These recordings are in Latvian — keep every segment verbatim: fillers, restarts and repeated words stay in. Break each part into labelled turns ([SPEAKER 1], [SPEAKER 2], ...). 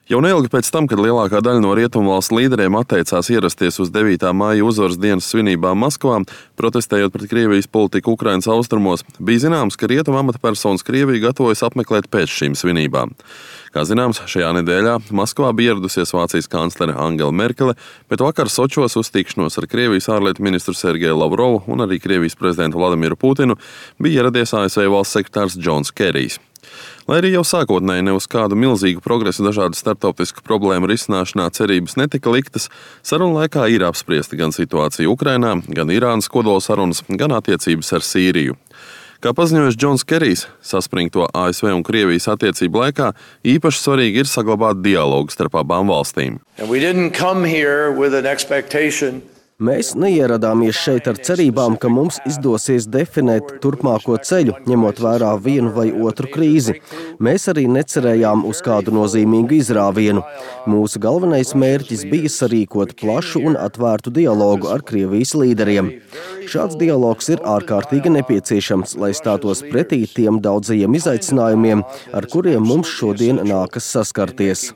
[SPEAKER 1] Jau neilgi pēc tam, kad lielākā daļa no rietumvalstu līderiem atteicās ierasties uz devītā māja uzvaras dienas svinībām Maskavā, protestējot pret Krievijas politiku Ukrainas austrumos, bija zināms, ka rietumu amatpersonas Krieviju gatavojas apmeklēt pēc šīm svinībām. Kā zināms, šajā nedēļā Maskavā bija ieradusies Vācijas kanclere Angela Merkele, bet vakar Sočos uz tikšanos ar Krievijas ārlietu ministru Sergeju Lavrovu un arī Krievijas prezidentu Vladimiru Putinu bija ieradies A S V valsts sekretārs Džons Kerijs. Lai arī jau sākotnēji ne uz kādu milzīgu progresu dažādu starptautisku problēmu risināšanā cerības netika liktas, sarunu laikā ir apspriesta gan situācija Ukrainā, gan Irānas kodolsarunas, gan attiecības ar Sīriju. Kā paziņojis Džons Kerijs, saspringto A S V un Krievijas attiecību laikā īpaši svarīgi ir saglabāt dialogu starp abām valstīm.
[SPEAKER 2] Mēs neieradāmies šeit ar cerībām, ka mums izdosies definēt turpmāko ceļu, ņemot vērā vienu vai otru krīzi. Mēs arī necerējām uz kādu nozīmīgu izrāvienu. Mūsu galvenais mērķis bija sarīkot plašu un atvērtu dialogu ar Krievijas līderiem. Šāds dialogs ir ārkārtīgi nepieciešams, lai stātos pretī tiem daudzajiem izaicinājumiem, ar kuriem mums šodien nākas saskarties.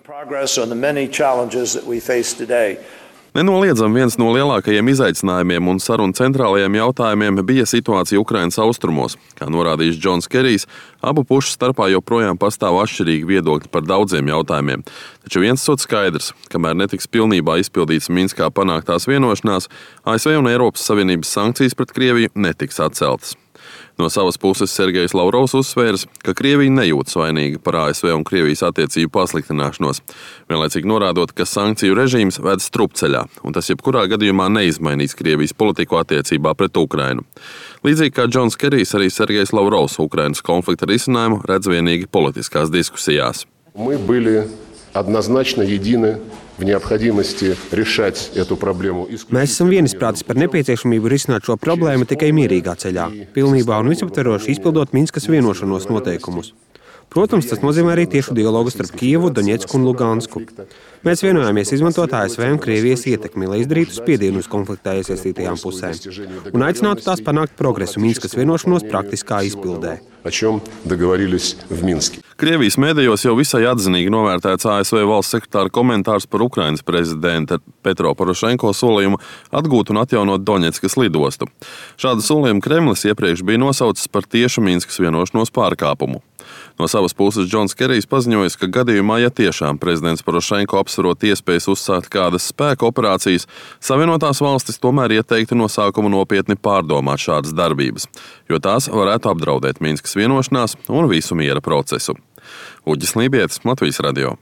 [SPEAKER 1] Nenoliedzami viens no lielākajiem izaicinājumiem un sarunu centrālajiem jautājumiem bija situācija Ukrainas austrumos. Kā norādījis Džons Kerijs, abu pušu starpā joprojām pastāv atšķirīgi viedokļi par daudziem jautājumiem. Taču viens sot skaidrs, kamēr netiks pilnībā izpildīts Minskā panāktās vienošanās, A S V un Eiropas Savienības sankcijas pret Krieviju netiks atceltas. No savas puses Sergejs Lavrovs uzsvērs, ka Krievija nejūtas vainīga par A S V un Krievijas attiecību pasliktināšanos, vienlaicīgi norādot, ka sankciju režīms ved strupceļā, un tas jebkurā gadījumā neizmainīs Krievijas politiku attiecībā pret Ukrainu. Līdzīgi kā Džons Kerijs, arī Sergejs Lavrovs Ukrainas konflikta risinājumu redz vienīgi politiskās diskusijās.
[SPEAKER 3] Mēs esam vienisprātis par nepieciešamību risināt šo problēmu tikai mierīgā ceļā, pilnībā un visaptveroši izpildot Minskas vienošanos noteikumus. Protams, tas nozīmē arī tiešu dialogu starp Kijevu, Doņetsku un Lugansku. Mēs vienojāmies izmantot A S V un Krievijas ietekmi, lai izdarītu spiedienu uz konfliktā iesaistītajām pusēm un aicinātu tās panākt progresu Minskas vienošanos praktiskā izpildē.
[SPEAKER 1] Krievijas mēdījos jau visai atzinīgi novērtēts A S V valsts sekretāra komentārs par Ukrainas prezidenta Petro Porošenko solījumu atgūt un atjaunot Doņetskas lidostu. Šādu solījumu Kremlis iepriekš bija nosaucis par tiešu Minskas vienošanos pārkāpumu. No savas puses Džons Kerijs paziņojis, ka gadījumā, ja tiešām prezidents Porošenko apsverot iespējas uzsākt kādas spēka operācijas, Savienotās valstis tomēr ieteiktu no sākuma nopietni pārdomāt šādas darbības, jo tās varētu apdraudēt Minskas vienošanās un visu miera procesu. Uģis Lībietis, Latvijas radio.